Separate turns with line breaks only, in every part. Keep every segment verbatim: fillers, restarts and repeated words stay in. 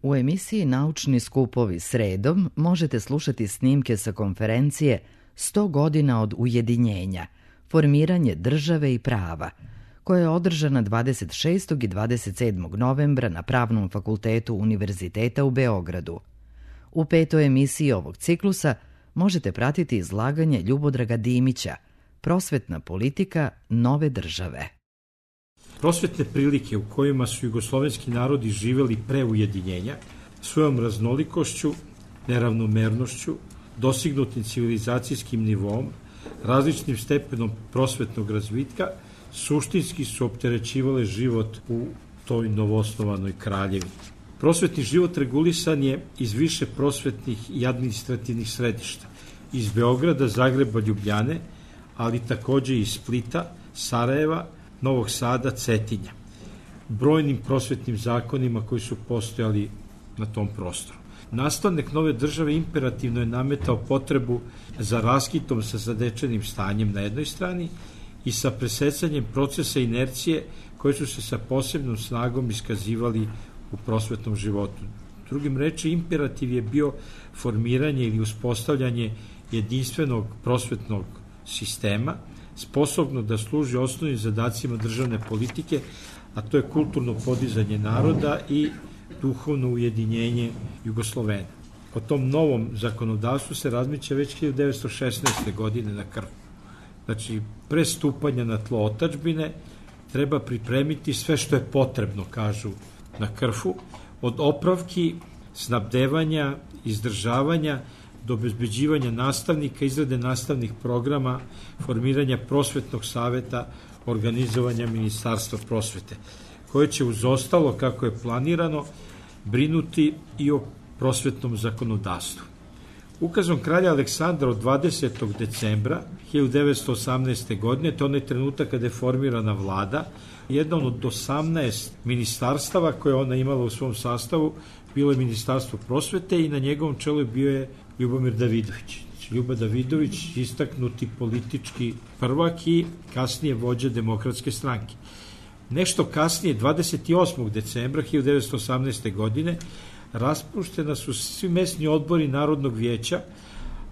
U emisiji Naučni skupovi sredom možete slušati snimke sa konferencije sto godina od ujedinjenja, formiranje države i prava, koja je održana dvadeset šestog i dvadeset sedmog novembra na Pravnom fakultetu Univerziteta u Beogradu. U petoj emisiji ovog ciklusa možete pratiti izlaganje Ljubodraga Dimića, Prosvetna politika nove države.
Prosvetne prilike u kojima su jugoslovenski narodi živeli pre ujedinjenja, svojom raznolikošću, neravnomernošću, dostignutim civilizacijskim nivom, različnim stepenom prosvetnog razvitka, suštinski su opterećivale život u toj novoosnovanoj kraljevini. Prosvetni život regulisan je iz više prosvetnih i administrativnih središta, iz Beograda, Zagreba, Ljubljane, ali takođe i iz Splita, Sarajeva, Novog Sada, Cetinja, brojnim prosvetnim zakonima koji su postojali na tom prostoru. Nastavnik nove države imperativno je nametao potrebu za raskitom sa zadečenim stanjem na jednoj strani i sa presecanjem procesa inercije koji su se sa posebnom snagom iskazivali u prosvetnom životu. Drugim reči, imperativ je bio formiranje ili uspostavljanje jedinstvenog prosvetnog sistema, sposobno da služi osnovnim zadacima državne politike, a to je kulturno podizanje naroda i duhovno ujedinjenje Jugoslovena. O tom novom zakonodavstvu se razmišlja već hiljadu devetsto šesnaeste. godine na Krfu. Znači, pre stupanja na tlo otadžbine treba pripremiti sve što je potrebno, kažu na Krfu, od opravki, snabdevanja, izdržavanja, do obezbeđivanja nastavnika, izrade nastavnih programa, formiranja prosvetnog saveta, organizovanja Ministarstva prosvete, koje će uz ostalo, kako je planirano, brinuti i o prosvetnom zakonodavstvu. Ukazom kralja Aleksandra od dvadesetog decembra hiljadu devetsto osamnaeste. godine, to je onaj trenutak kada je formirana vlada, jedan od osamnaest ministarstava koje ona imala u svom sastavu bilo je Ministarstvo prosvete i na njegovom čelu bio je Ljubomir Davidović. Znači, Ljuba Davidović, istaknuti politički prvak i kasnije vođa Demokratske stranke. Nešto kasnije, dvadeset osmog decembra hiljadu devetsto osamnaeste. godine, raspuštena su svi mesni odbori Narodnog vijeća,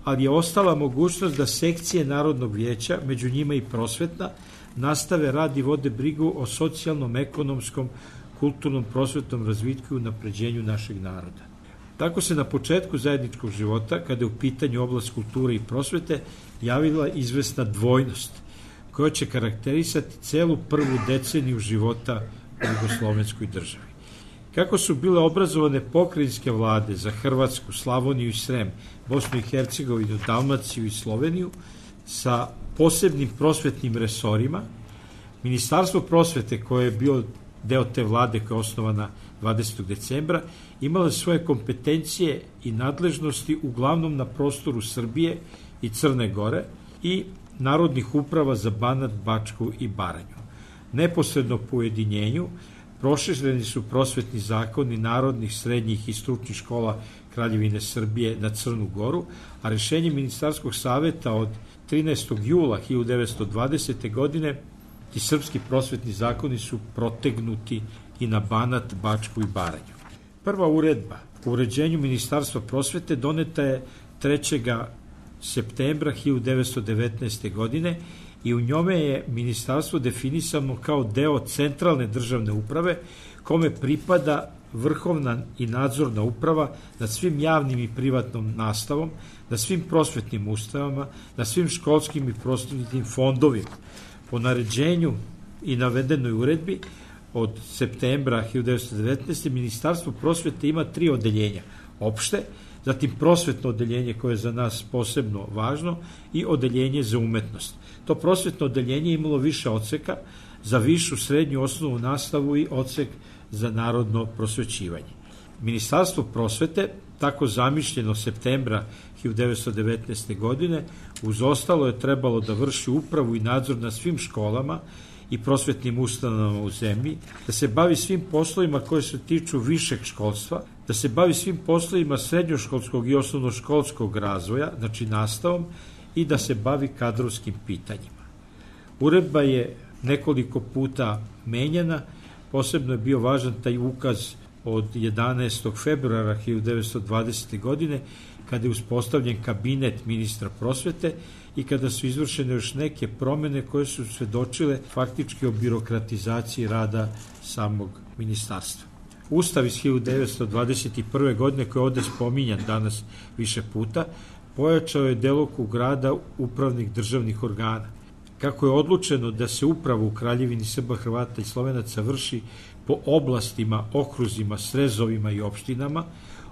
ali je ostala mogućnost da sekcije Narodnog vijeća, među njima i prosvetna, nastave rad i vode brigu o socijalnom, ekonomskom, kulturnom, prosvetnom razvitku i unapređenju našeg naroda. Tako se na početku zajedničkog života, kada je u pitanju oblast kulture i prosvete, javila izvesna dvojnost, koja će karakterisati celu prvu deceniju života u jugoslovenskoj državi. Kako su bile obrazovane pokrajinske vlade za Hrvatsku, Slavoniju i Srem, Bosnu i Hercegovinu, Dalmaciju i Sloveniju, sa posebnim prosvetnim resorima, Ministarstvo prosvete, koje je bio deo te vlade koja je osnovana dvadesetog decembra, imala svoje kompetencije i nadležnosti uglavnom na prostoru Srbije i Crne Gore i narodnih uprava za Banat, Bačku i Baranju. Neposredno po ujedinjenju prošireni su prosvetni zakoni narodnih, srednjih i stručnih škola Kraljevine Srbije na Crnu Goru, a rešenje Ministarskog saveta od trinaestog jula hiljadu devetsto dvadesete. godine ti srpski prosvetni zakoni su protegnuti i na Banat, Bačku i Baranju. Prva uredba o uređenju Ministarstva prosvete doneta je trećeg septembra hiljadu devetsto devetnaeste. godine i u njome je ministarstvo definisano kao deo centralne državne uprave, kome pripada vrhovna i nadzorna uprava nad svim javnim i privatnom nastavom, nad svim prosvetnim ustanovama, nad svim školskim i prosvetnim fondovima. Po naređenju i navedenoj uredbi od septembra hiljadu devetsto devetnaeste. Ministarstvo prosvete ima tri odeljenja: opšte, zatim prosvetno odeljenje koje je za nas posebno važno i odeljenje za umetnost. To prosvetno odeljenje imalo više odseka za višu, srednju, osnovnu nastavu i odsek za narodno prosvećivanje. Ministarstvo prosvete, tako zamišljeno septembra hiljadu devetsto devetnaeste. godine, uz ostalo je trebalo da vrši upravu i nadzor na svim školama i prosvetnim ustanovama u zemlji, da se bavi svim poslovima koje se tiču višeg školstva, da se bavi svim poslovima srednjoškolskog i osnovnoškolskog razvoja, znači nastavom, i da se bavi kadrovskim pitanjima. Uredba je nekoliko puta menjana, posebno je bio važan taj ukaz od jedanaestog februara hiljadu devetsto dvadesete. godine, kada je uspostavljen kabinet ministra prosvete i kada su izvršene još neke promene koje su svedočile faktički o birokratizaciji rada samog ministarstva. Ustav iz hiljadu devetsto dvadeset prve. godine, koji je ovde spominjan danas više puta, pojačao je delokrug rada upravnih državnih organa. Kako je odlučeno da se upravo u Kraljevini Srba, Hrvata i Slovenaca vrši po oblastima, okruzima, srezovima i opštinama,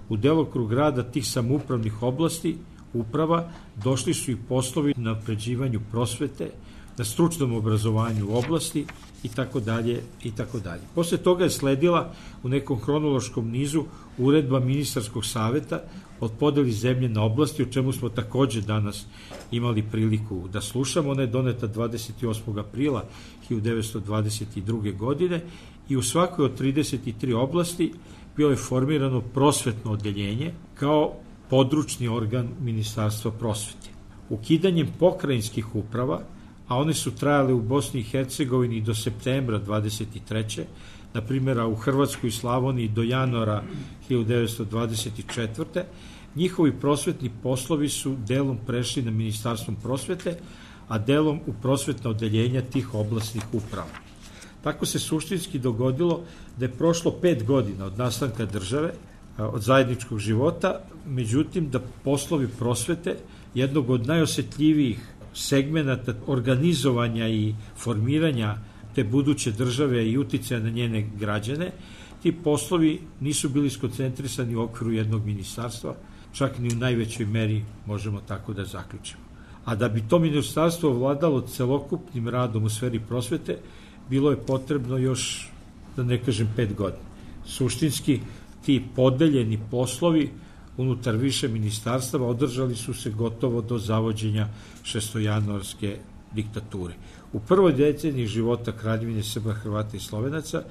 u delokrug rada tih samoupravnih oblasti uprava došli su i poslovi na napređivanju prosvete, na stručnom obrazovanju u oblasti i tako dalje i tako dalje. Posle toga je sledila u nekom hronološkom nizu uredba ministarskog saveta od podeli zemlje na oblasti, o čemu smo takođe danas imali priliku da slušamo. Ona je doneta dvadeset osmog aprila hiljadu devetsto dvadeset druge. godine i u svakoj od trideset tri oblasti bilo je formirano prosvetno odeljenje kao područni organ Ministarstva prosvete. Ukidanjem pokrajinskih uprava, a one su trajale u Bosni i Hercegovini do septembra dvadeset treće. na primjer u Hrvatskoj i Slavoniji do januara hiljadu devetsto dvadeset četvrte. Njihovi prosvetni poslovi su delom prešli na Ministarstvom prosvete, a delom u prosvetna odeljenja tih oblastnih uprava. Tako se suštinski dogodilo da je prošlo pet godina od nastanka države, od zajedničkog života, međutim da poslovi prosvete, jednog od najosetljivijih segmenata organizovanja i formiranja te buduće države i uticaja na njene građane, ti poslovi nisu bili skoncentrisani u okviru jednog ministarstva, čak ni u najvećoj meri možemo tako da zaključimo. A da bi to ministarstvo vladalo celokupnim radom u sferi prosvete, bilo je potrebno još, da ne kažem, pet godina. Suštinski, ti podeljeni poslovi unutar više ministarstava održali su se gotovo do zavođenja šestojanuarske diktature. U prvoj deceniji života Kraljevine Srba, Hrvata i Slovenaca,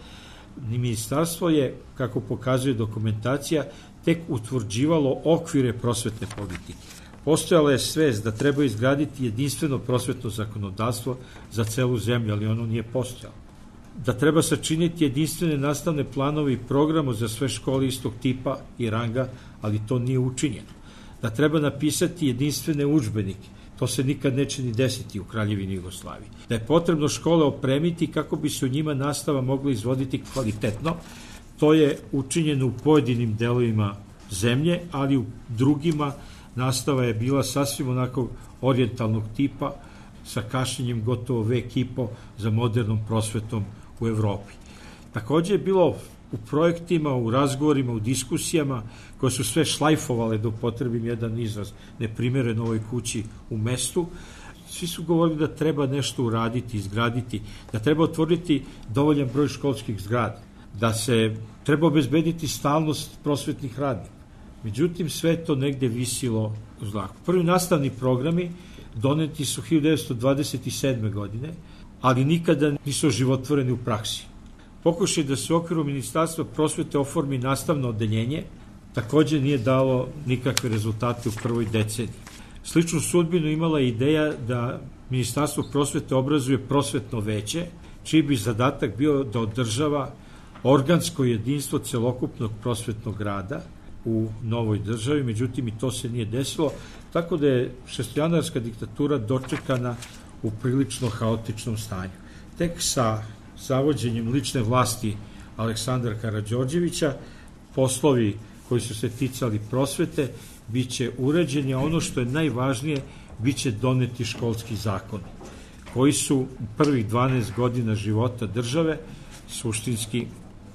ministarstvo je, kako pokazuje dokumentacija, tek utvrđivalo okvire prosvetne politike. Postojala je svest da treba izgraditi jedinstveno prosvetno zakonodavstvo za celu zemlju, ali ono nije postojalo. Da treba sačiniti jedinstvene nastavne planove i programe za sve škole istog tipa i ranga, ali to nije učinjeno. Da treba napisati jedinstvene udžbenike, to se nikad neće ni desiti u Kraljevini Jugoslaviji. Da je potrebno škole opremiti kako bi se u njima nastava mogla izvoditi kvalitetno, to je učinjeno u pojedinim delovima zemlje, ali u drugima nastava je bila sasvim onako orijentalnog tipa, sa kašnjenjem gotovo vek i po za modernom prosvetom u Evropi. Takođe je bilo u projektima, u razgovorima, u diskusijama, koje su sve šlajfovale, da upotrebim jedan izraz neprimeren ovoj kući u mestu, svi su govorili da treba nešto uraditi, izgraditi, da treba otvoriti dovoljan broj školskih zgrada, da se treba obezbediti stalnost prosvetnih radnika. Međutim, sve to negde visilo u zraku. Prvi nastavni programi doneti su hiljadu devetsto dvadeset sedme. godine, ali nikada nisu oživotvoreni u praksi. Pokušaj da se u okviru Ministarstva prosvete oformi nastavno odeljenje takođe nije dalo nikakve rezultate u prvoj deceniji. Sličnu sudbinu imala ideja da Ministarstvo prosvete obrazuje prosvetno veće, čiji bi zadatak bio da održava organsko jedinstvo celokupnog prosvetnog rada u novoj državi, međutim i to se nije desilo, tako da je šestojanuarska diktatura dočekana u prilično haotičnom stanju. Tek sa zavođenjem lične vlasti Aleksandra Karađorđevića poslovi koji su se ticali prosvete biće uređeni, a ono što je najvažnije, biće doneti školski zakoni, koji su u prvih dvanaest godina života države suštinski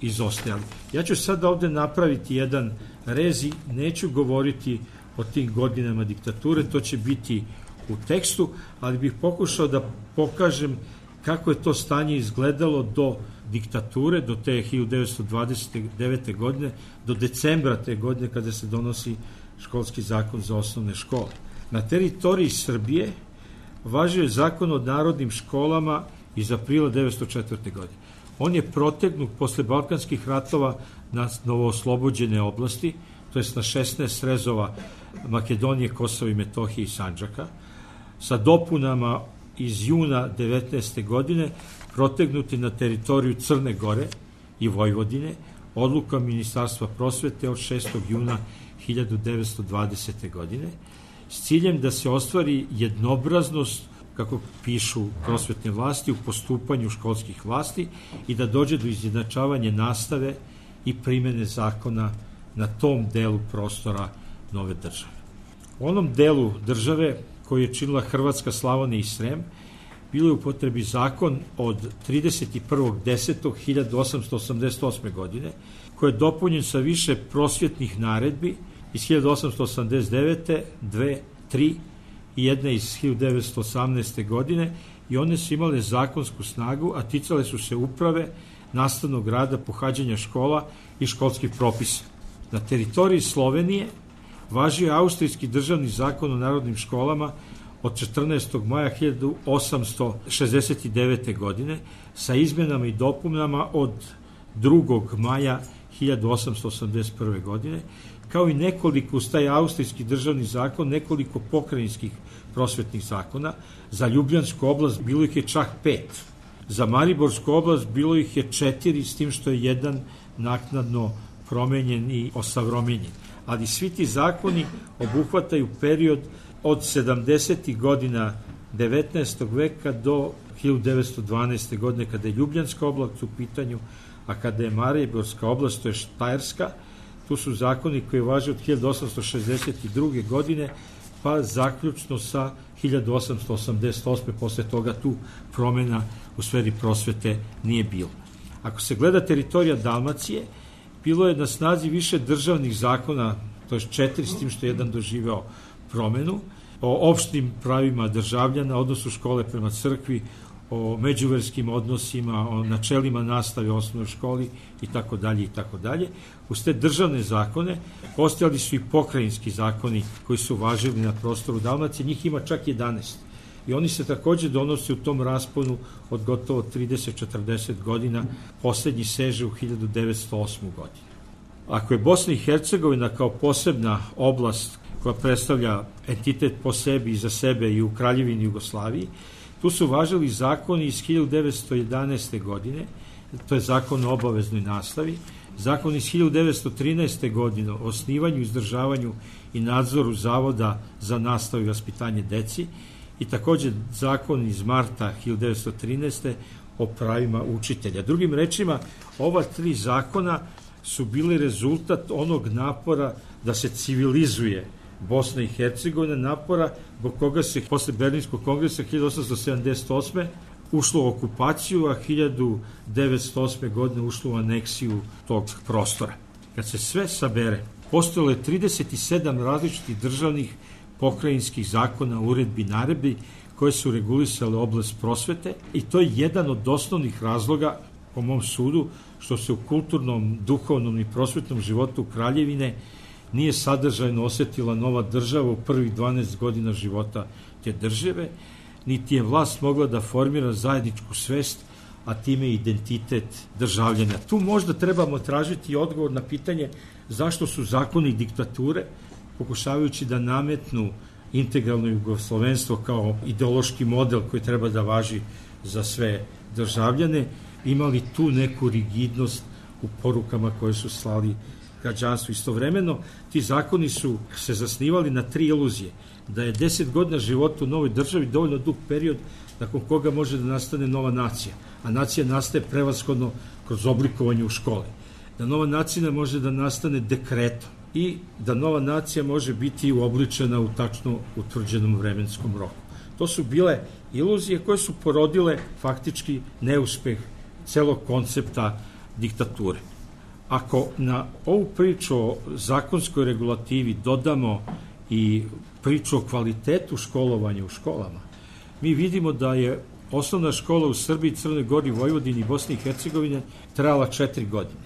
izostajali. Ja ću sada ovde napraviti jedan rez i neću govoriti o tim godinama diktature, to će biti u tekstu, ali bih pokušao da pokažem kako je to stanje izgledalo do diktature, do te hiljadu devetsto dvadeset devete. godine, do decembra te godine kada se donosi školski zakon za osnovne škole. Na teritoriji Srbije važio je zakon o narodnim školama iz aprila devetsto četvrte. godine. On je protegnut posle Balkanskih ratova na novooslobođene oblasti, to jest na šesnaest srezova Makedonije, Kosova i Metohije i Sandžaka, sa dopunama iz juna devetnaeste. godine protegnuti na teritoriju Crne Gore i Vojvodine, odluka Ministarstva prosvete od šestog juna hiljadu devetsto dvadesete. godine s ciljem da se ostvari jednobraznost, kako pišu prosvetne vlasti, u postupanju školskih vlasti i da dođe do izjednačavanja nastave i primene zakona na tom delu prostora nove države. U onom delu države koji je činila Hrvatska, Slavonija i Srem, bilo je u potrebi zakon od trideset prvog desetog hiljadu osamsto osamdeset osme. godine, koji je dopunjen sa više prosvjetnih naredbi iz hiljadu osamsto osamdeset devete, dve, tri i jedna iz hiljadu devetsto osamnaeste. godine i one su imale zakonsku snagu, a ticale su se uprave, nastavnog rada, pohađanja škola i školskih propisa. Na teritoriji Slovenije važio je austrijski državni zakon o narodnim školama od četrnaestog maja hiljadu osamsto šezdeset devete. godine sa izmenama i dopunama od drugog maja hiljadu osamsto osamdeset prve. godine, kao i nekoliko, uz taj austrijski državni zakon, nekoliko pokrajinskih prosvetnih zakona. Za Ljubljansku oblast bilo ih je čak pet. Za Mariborsku oblast bilo ih je četiri, s tim što je jedan naknadno promenjen i osavremenjen. Ali svi ti zakoni obuhvataju period od sedamdesetih godina devetnaestog. veka do hiljadu devetsto dvanaeste. godine, kada je Ljubljanska oblast u pitanju, a kada je Mariborska oblast, to je Štajerska, tu su zakoni koji važe od hiljadu osamsto šezdeset druge. godine, pa zaključno sa hiljadu osamsto osamdeset osme. Posle toga tu promena u sferi prosvete nije bilo. Ako se gleda teritorija Dalmacije, bilo je na snazi više državnih zakona, to je četiri, s tim što je jedan doživeo promenu, o opštim pravima državljana, odnosu škole prema crkvi, o međuverskim odnosima, o načelima nastave u osnovnoj školi i tako dalje i tako dalje. Uz te državne zakone postojali su i pokrajinski zakoni koji su važili na prostoru Dalmacije, njih ima čak jedanaest. I oni se takođe donose u tom rasponu od gotovo trideset do četrdeset godina, poslednji seže u hiljadu devetsto osmu. godinu. Ako je Bosna i Hercegovina kao posebna oblast koja predstavlja entitet po sebi i za sebe i u Kraljevini Jugoslaviji, tu su važili zakoni iz hiljadu devetsto jedanaeste. godine, to je zakon o obaveznoj nastavi, zakon iz hiljadu devetsto trinaeste. godine o osnivanju, izdržavanju i nadzoru Zavoda za nastavu i vaspitanje deci i takođe zakon iz marta hiljadu devetsto trinaeste. o pravima učitelja. Drugim rečima, ova tri zakona su bili rezultat onog napora da se civilizuje Bosna i Hercegovina, napora zbog koga se posle Berlinskog kongresa hiljadu osamsto sedamdeset osme. ušlo u okupaciju, a hiljadu devetsto osme. godine ušlo u aneksiju tog prostora. Kad se sve sabere, postojalo je trideset sedam različitih državnih pokrajinskih zakona, uredbi, naredbi koje su regulisale oblast prosvete i to je jedan od osnovnih razloga, po mom sudu, što se u kulturnom, duhovnom i prosvetnom životu Kraljevine nije sadržajno osetila nova država u prvih dvanaest godina života te države, niti je vlast mogla da formira zajedničku svest, a time identitet državljana. Tu možda trebamo tražiti odgovor na pitanje zašto su zakoni diktature, pokušavajući da nametnu integralno jugoslovenstvo kao ideološki model koji treba da važi za sve državljane, imali tu neku rigidnost u porukama koje su slali građanstvu. Istovremeno, ti zakoni su se zasnivali na tri iluzije. Da je deset godina života u novoj državi dovoljno dug period nakon koga može da nastane nova nacija. A nacija nastaje prevashodno kroz oblikovanje u školi. Da nova nacija može da nastane dekretom i da nova nacija može biti uobličena u tačno utvrđenom vremenskom roku. To su bile iluzije koje su porodile faktički neuspeh celog koncepta diktature. Ako na ovu priču o zakonskoj regulativi dodamo i priču o kvalitetu školovanja u školama, mi vidimo da je osnovna škola u Srbiji, Crnoj Gori, Vojvodini i Bosni i Hercegovine trajala četiri godine.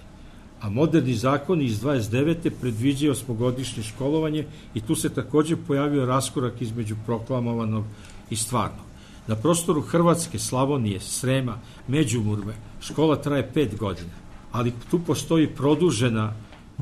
A moderni zakoni iz dvadeset devete predviđaju osmogodišnje školovanje i tu se takođe pojavio raskorak između proklamovanog i stvarnog. Na prostoru Hrvatske, Slavonije, Srema, Međimurve škola traje pet godina, ali tu postoji produžena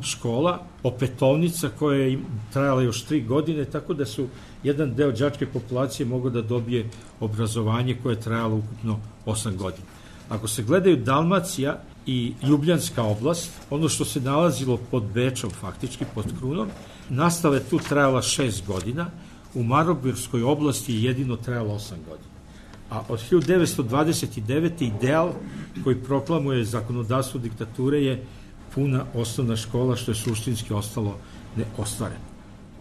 škola, opetownica koja je trajala još tri godine, tako da su jedan deo đačke populacije mogao da dobije obrazovanje koje je trajalo ukupno osam godina. Ako se gledaju Dalmacija i Ljubljanska oblast, ono što se nalazilo pod Bečom, faktički pod Krunom, nastava je tu trajala šest godina, u Marobirskoj oblasti je jedino trajalo osam godina. A od hiljadu devetsto dvadeset devete. ideal koji proklamuje zakonodavstvo diktature je puna osnovna škola, što je suštinski ostalo neostvareno.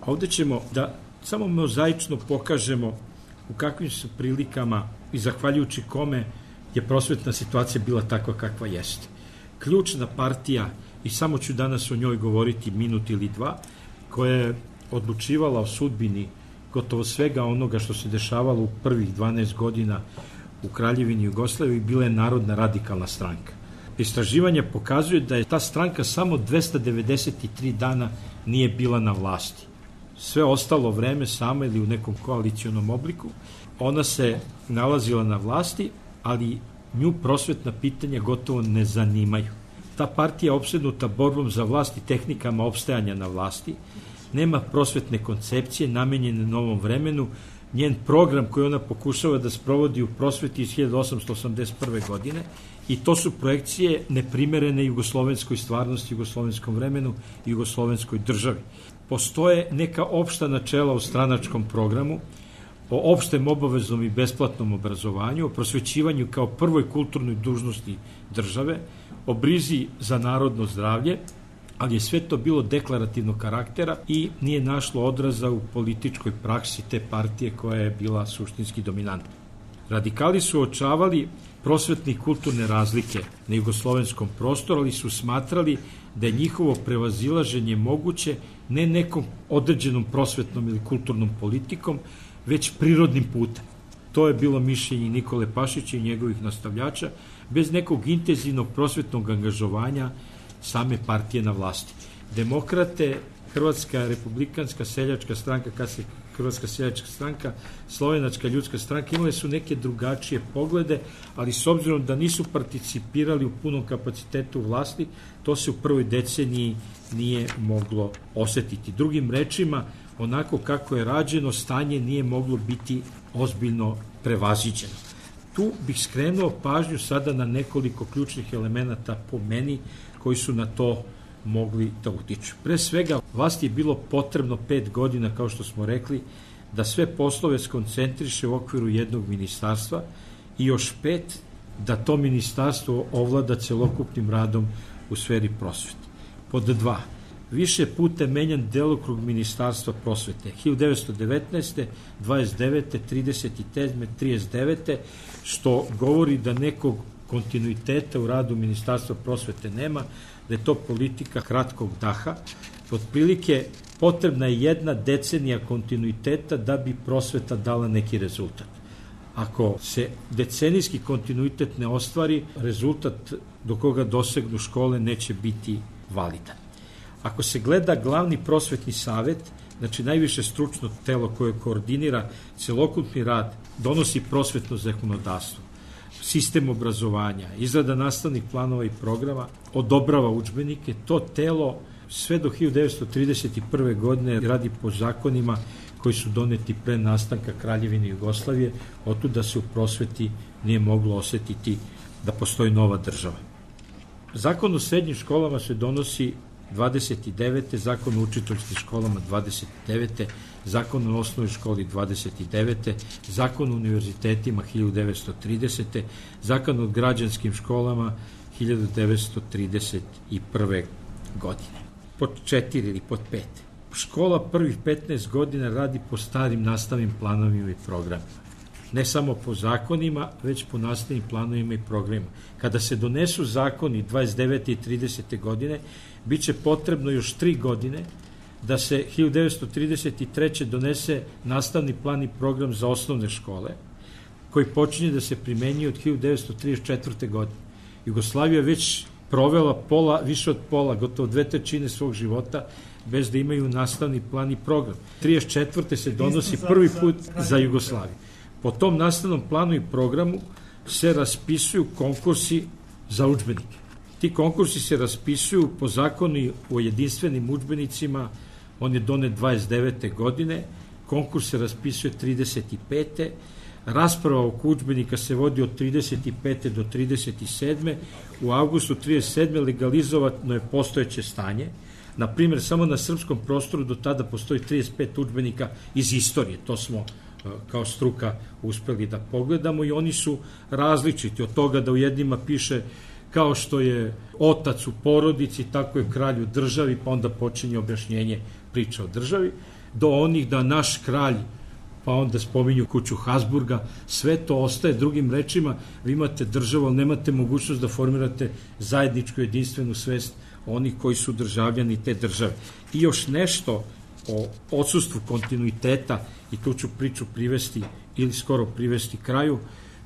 Ovde ćemo da samo mozaično pokažemo u kakvim su prilikama i zahvaljujući kome je prosvetna situacija bila takva kakva jeste. Ključna partija, i samo ću danas o njoj govoriti minut ili dva, koja je odlučivala o sudbini gotovo svega onoga što se dešavalo u prvih dvanaest godina u Kraljevini Jugoslaviji, bila je Narodna radikalna stranka. Istraživanja pokazuju da je ta stranka samo dvesta devedeset tri dana nije bila na vlasti. Sve ostalo vreme sama ili u nekom koalicionom obliku, ona se nalazila na vlasti, ali nju prosvetna pitanja gotovo ne zanimaju. Ta partija je opsednuta borbom za vlast i tehnikama opstajanja na vlasti, nema prosvetne koncepcije namenjene novom vremenu, njen program koji ona pokušava da sprovodi u prosveti iz hiljadu osamsto osamdeset prve. godine, i to su projekcije neprimerene jugoslovenskoj stvarnosti, jugoslovenskom vremenu i jugoslovenskoj državi. Postoje neka opšta načela u stranačkom programu, o opštem obaveznom i besplatnom obrazovanju, o prosvećivanju kao prvoj kulturnoj dužnosti države, o brizi za narodno zdravlje, ali je sve to bilo deklarativnog karaktera i nije našlo odraza u političkoj praksi te partije koja je bila suštinski dominantna. Radikali su očavali prosvetne i kulturne razlike na jugoslovenskom prostoru, ali su smatrali da je njihovo prevazilaženje moguće ne nekom određenom prosvetnom ili kulturnom politikom, već prirodnim putem. To je bilo mišljenje Nikole Pašića i njegovih nastavljača, bez nekog intenzivnog prosvetnog angažovanja same partije na vlasti. Demokrate, Hrvatska republikanska seljačka stranka, kasnije Hrvatska seljačka stranka, Slovenačka ljudska stranka, imale su neke drugačije poglede, ali s obzirom da nisu participirali u punom kapacitetu vlasti, to se u prvoj deceniji nije moglo osetiti. Drugim rečima, onako kako je rađeno, stanje nije moglo biti ozbiljno prevaziđeno. Tu bih skrenuo pažnju sada na nekoliko ključnih elemenata po meni koji su na to mogli da utiču. Pre svega, vlasti je bilo potrebno pet godina, kao što smo rekli, da sve poslove skoncentriše u okviru jednog ministarstva i još pet da to ministarstvo ovlada celokupnim radom u sferi prosvete. Pod dva. Više puta menjan delokrug ministarstva prosvete. hiljadu devetsto devetnaeste. dvadeset devete. trideset sedme. trideset devete. što govori da nekog kontinuiteta u radu ministarstva prosvete nema, da je to politika kratkog daha. Otprilike potrebna je jedna decenija kontinuiteta da bi prosveta dala neki rezultat. Ako se decenijski kontinuitet ne ostvari, rezultat do koga dosegnu škole neće biti validan. Ako se gleda glavni prosvetni savet, znači najviše stručno telo koje koordinira celokupni rad, donosi prosvetno zakonodavstvo, sistem obrazovanja, izrada nastavnih planova i programa, odobrava udžbenike, to telo sve do hiljadu devetsto trideset prve. godine radi po zakonima koji su doneti pre nastanka Kraljevine Jugoslavije, otud da se u prosveti nije moglo osetiti da postoji nova država. Zakon o srednjim školama se donosi dvadeset devete. Zakon o učiteljskim školama dvadeset devete. Zakon o osnovnoj školi dvadeset devete. Zakon o univerzitetima hiljadu devetsto tridesete. Zakon o građanskim školama hiljadu devetsto trideset prve. godine. Pod četiri ili pod pet. Škola prvih petnaest godina radi po starim nastavnim planovima i programima. Ne samo po zakonima, već po nastavnim planovima i programima. Kada se donesu zakoni dvadeset devete i tridesete. godine, bit će potrebno još tri godine da se hiljadu devetsto trideset treće. donese nastavni plan i program za osnovne škole, koji počinje da se primenjuje od hiljadu devetsto trideset četvrte. godine. Jugoslavija već provela pola, više od pola, gotovo dve trećine svog života bez da imaju nastavni plan i program. trideset četvrte. se donosi prvi put za Jugoslaviju. Po tom nastavnom planu i programu se raspisuju konkursi za udžbenike. Ti konkursi se raspisuju po zakonu o jedinstvenim udžbenicima, on je donet dvadeset devete. godine, konkurs se raspisuje trideset pete. Rasprava oko udžbenika se vodi od trideset pete do trideset sedme U avgustu trideset sedme legalizovano je postojeće stanje. Na primjer, samo na srpskom prostoru do tada postoji trideset pet udžbenika iz istorije. To smo kao struka uspeli da pogledamo i oni su različiti od toga da u jednima piše kao što je otac u porodici, tako je kralj u državi, pa onda počinje objašnjenje priča o državi, do onih da naš kralj, pa onda spominju kuću Habsburga, sve to ostaje. Drugim rečima, vi imate državu, ali nemate mogućnost da formirate zajedničku jedinstvenu svest onih koji su državljani te države. I još nešto o odsustvu kontinuiteta, i tu ću priču privesti ili skoro privesti kraju.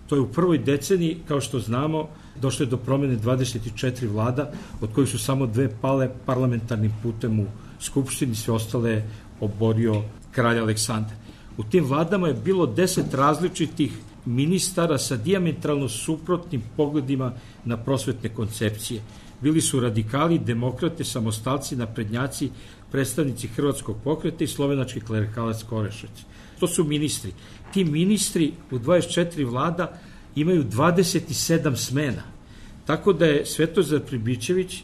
To je u prvoj deceniji, kao što znamo, došlo je do promjene dvadeset četiri vlada, od kojih su samo dve pale parlamentarnim putem u Skupštini, sve ostale je oborio kralj Aleksandar. U tim vladama je bilo deset različitih ministara sa dijametralno suprotnim pogledima na prosvetne koncepcije. Bili su radikali, demokrate, samostalci, naprednjaci, predstavnici hrvatskog pokreta i slovenački klerikalac Korešec. To su ministri. Ti ministri u dvadeset četiri vlada imaju dvadeset sedam smena. Tako da je Svetozar Pribičević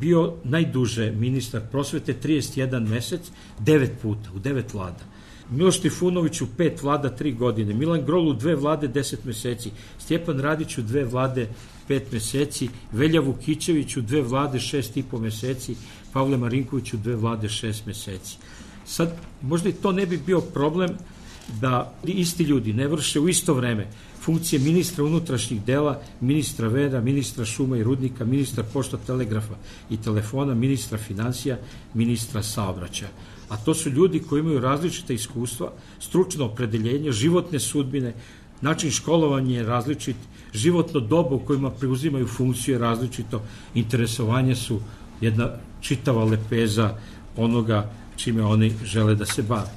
bio najduže ministar prosvete, trideset jedan mesec, devet puta, u devet vlada. Miloš Trifunović u pet vlada, tri godine. Milan Grol u dve vlade, deset meseci. Stjepan Radić u dve vlade, pet meseci. Velja Vukićević u dve vlade, šest i po meseci. Pavle Marinković u dve vlade, šest meseci. Sad, možda i to ne bi bio problem da isti ljudi ne vrše u isto vreme funkcije ministra unutrašnjih dela, ministra vera, ministra šuma i rudnika, ministra pošta, telegrafa i telefona, ministra financija, ministra saobraćaja. A to su ljudi koji imaju različite iskustva, stručno opredeljenje, životne sudbine, način školovanja je različit, životno doba u kojima preuzimaju funkciju je različito, interesovanje su jedna čitava lepeza onoga čime oni žele da se bave.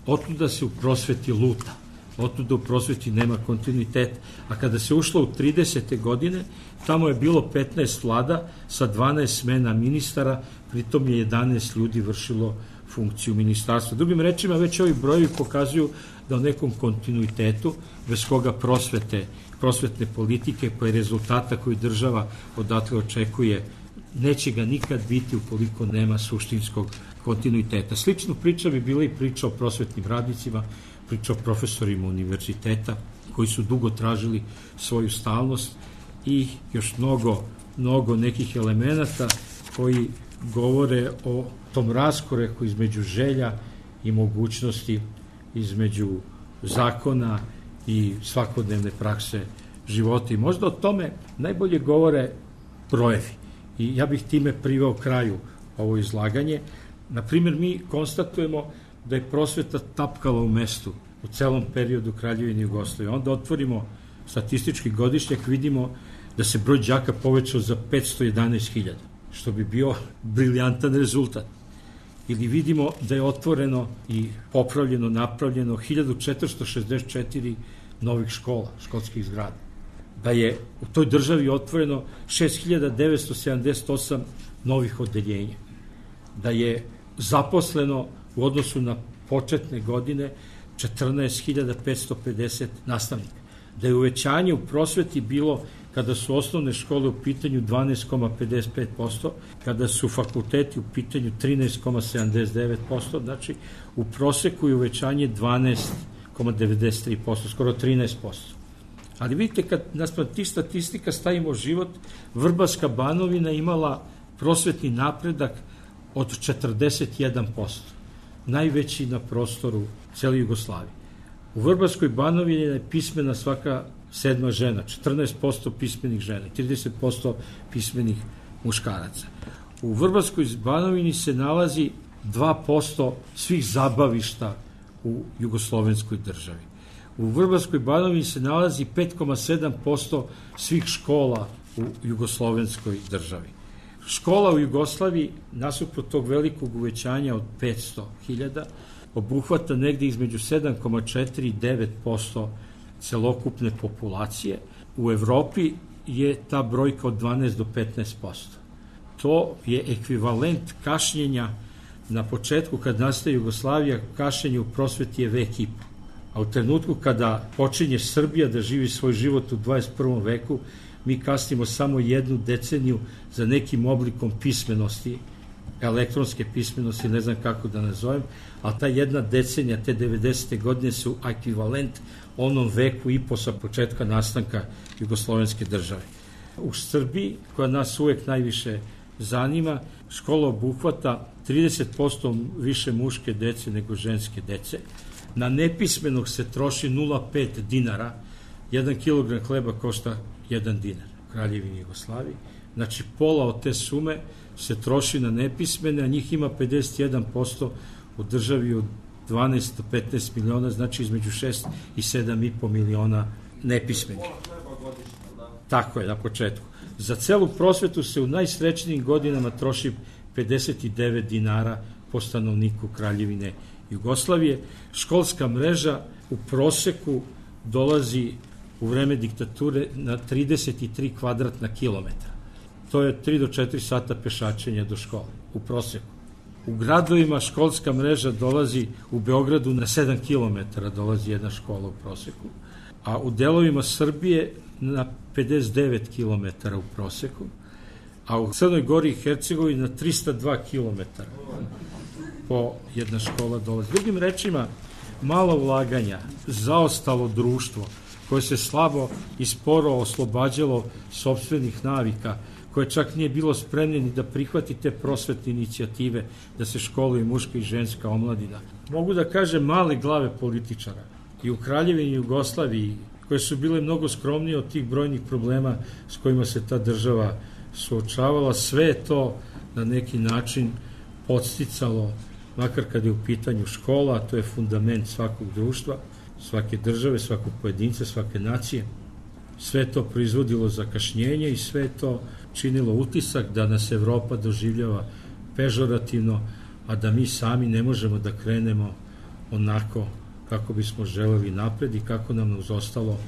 Otuda se u prosveti luta, otuda u prosveti nema kontinuiteta. A kada se ušlo u tridesete godine, tamo je bilo petnaest vlada sa dvanaest smena ministara, pritom je jedanaest ljudi vršilo funkciju ministarstva. Drugim rečima, već ovi brojevi pokazuju da u nekom kontinuitetu, bez koga prosvete, prosvetne politike, pa i rezultata koji država odatle očekuje, neće ga nikad biti ukoliko nema suštinskog kontinuiteta. Sličnu priča bi bila i priča o prosvetnim radnicima, priča o profesorima univerziteta koji su dugo tražili svoju stalnost i još mnogo, mnogo nekih elemenata koji govore o tom raskoraku između želja i mogućnosti, između zakona i svakodnevne prakse života. I možda o tome najbolje govore brojevi. I ja bih time priveo kraju ovo izlaganje. Na primjer, mi konstatujemo da je prosveta tapkala u mestu u celom periodu Kraljevine Jugoslavije. Onda otvorimo statistički godišnjak, vidimo da se broj đaka povećao za petsto jedanaest hiljada, što bi bio briljantan rezultat. Ili vidimo da je otvoreno i popravljeno, napravljeno hiljadu četiristo šezdeset četiri novih škola, školskih zgrada. Da je u toj državi otvoreno šest hiljada devetsto sedamdeset osam novih odeljenja. Da je zaposleno u odnosu na početne godine četrnaest hiljada petsto pedeset nastavnika. Da je uvećanje u prosveti bilo, kada su osnovne škole u pitanju, dvanaest zarez pedeset pet posto, kada su fakulteti u pitanju trinaest zarez sedamdeset devet posto, znači u proseku je uvećanje dvanaest zarez devedeset tri posto, skoro trinaest posto. Ali vidite, kad naspram tih statistika stavimo život, Vrbarska Banovina imala prosvetni napredak od četrdeset jedan posto, najveći na prostoru cele Jugoslavije. U Vrbarskoj Banovini je pismena svaka sedma žena, četrnaest posto pismenih žena, trideset posto pismenih muškaraca. U Vrbarskoj Banovini se nalazi dva posto svih zabavišta u jugoslovenskoj državi. U Vrbarskoj Banovini se nalazi pet zarez sedam posto svih škola u jugoslovenskoj državi. Škola u Jugoslaviji, nasuprot tog velikog uvećanja od petsto hiljada, obuhvata negde između sedam zarez četiri i devet posto celokupne populacije. U Evropi je ta brojka od dvanaest do petnaest posto. To je ekvivalent kašnjenja na početku, kad nastaje Jugoslavija, kašnjenje u prosveti je vek i po. A u trenutku kada počinje Srbija da živi svoj život u dvadeset prvom veku, mi kasnimo samo jednu deceniju za nekim oblikom pismenosti, elektronske pismenosti, ne znam kako da nazovem, a ta jedna decenija, te devedesete godine su ekvivalent onom veku i po sa početka nastanka jugoslovenske države. U Srbiji, koja nas uvek najviše zanima, škola obuhvata trideset posto više muške dece nego ženske dece. Na nepismenog se troši nula zarez pet dinara, jedan kilogram hleba košta jedan dinar u Kraljevini Jugoslaviji. Znači, pola od te sume se troši na nepismene, a njih ima pedeset jedan posto u državi od dvanaest do petnaest miliona, znači između šest i sedam i po miliona nepismenih. Tako je, na početku. Za celu prosvetu se u najsrećnijim godinama troši pedeset devet dinara po stanovniku Kraljevine Jugoslavije. Školska mreža u proseku dolazi u vreme diktature na trideset tri kvadratna kilometra. To je tri do četiri sata pešačenja do škole, u proseku. U gradovima školska mreža dolazi u Beogradu na sedam kilometara, dolazi jedna škola u proseku, a u delovima Srbije na pedeset devet kilometara u proseku, a u Crnoj Gori i Hercegovini na trista dva kilometara po jedna škola dolazi. Drugim rečima, malo ulaganja, zaostalo društvo koje se slabo i sporo oslobađalo sopstvenih navika, koje čak nije bilo spremno ni da prihvati te prosvetne inicijative da se školuje muška i ženska omladina. Mogu da kažem male glave političara i u Kraljevini Jugoslaviji, koje su bile mnogo skromnije od tih brojnih problema s kojima se ta država suočavala, sve je to na neki način podsticalo, makar kad je u pitanju škola, a to je fundament svakog društva, svake države, svakog pojedinca, svake nacije. Sve to proizvodilo zakašnjenje i sve to činilo utisak da nas Evropa doživljava pežorativno, a da mi sami ne možemo da krenemo onako kako bismo želeli napred i kako nam uz ostalo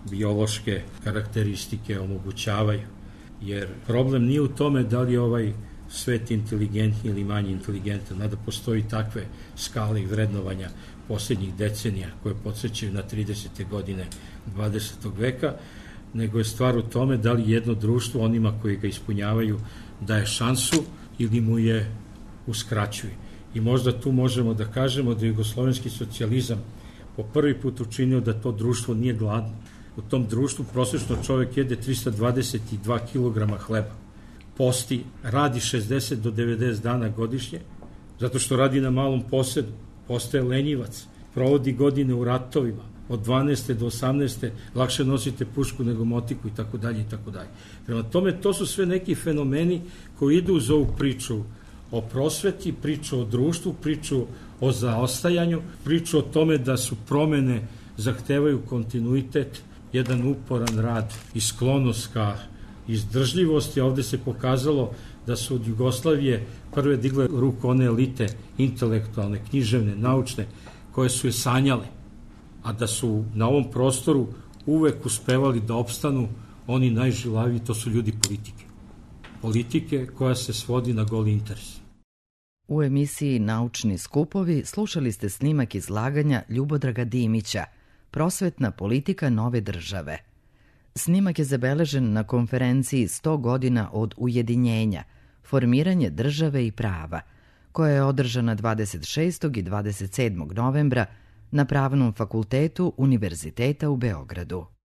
biološke karakteristike omogućavaju. Jer problem nije u tome da li je ovaj svet inteligentni ili manje inteligentan, nada postoji takve skale i vrednovanja posljednjih decenija koje podsjećaju na tridesete godine dvadesetog veka, nego je stvar u tome da li jedno društvo onima koji ga ispunjavaju daje šansu ili mu je uskraćuje. I možda tu možemo da kažemo da je jugoslovenski socijalizam po prvi put učinio da to društvo nije gladno. U tom društvu prosečno čovjek jede trista dvadeset dva kilograma hleba, posti, radi šezdeset do devedeset dana godišnje, zato što radi na malom posedu, postaje lenjivac, provodi godine u ratovima, od dvanaeste do osamnaeste lakše nosite pušku nego motiku i tako dalje i tako dalje. Prema tome, to su sve neki fenomeni koji idu uz ovu priču o prosveti, priču o društvu, priču o zaostajanju, priču o tome da su promene zahtevaju kontinuitet, jedan uporan rad i sklonost ka izdržljivosti. Ovde se pokazalo da su od Jugoslavije prve digle ruku one elite intelektualne, književne, naučne, koje su je sanjale, a da su na ovom prostoru uvek uspevali da opstanu oni najžilaviji, to su ljudi politike. Politike koja se svodi na goli interes.
U emisiji Naučni skupovi slušali ste snimak izlaganja Ljubodraga Dimića, Prosvetna politika nove države. Snimak je zabeležen na konferenciji sto godina od ujedinjenja, formiranje države i prava, koja je održana dvadeset šestog i dvadeset sedmog novembra na Pravnom fakultetu Univerziteta u Beogradu.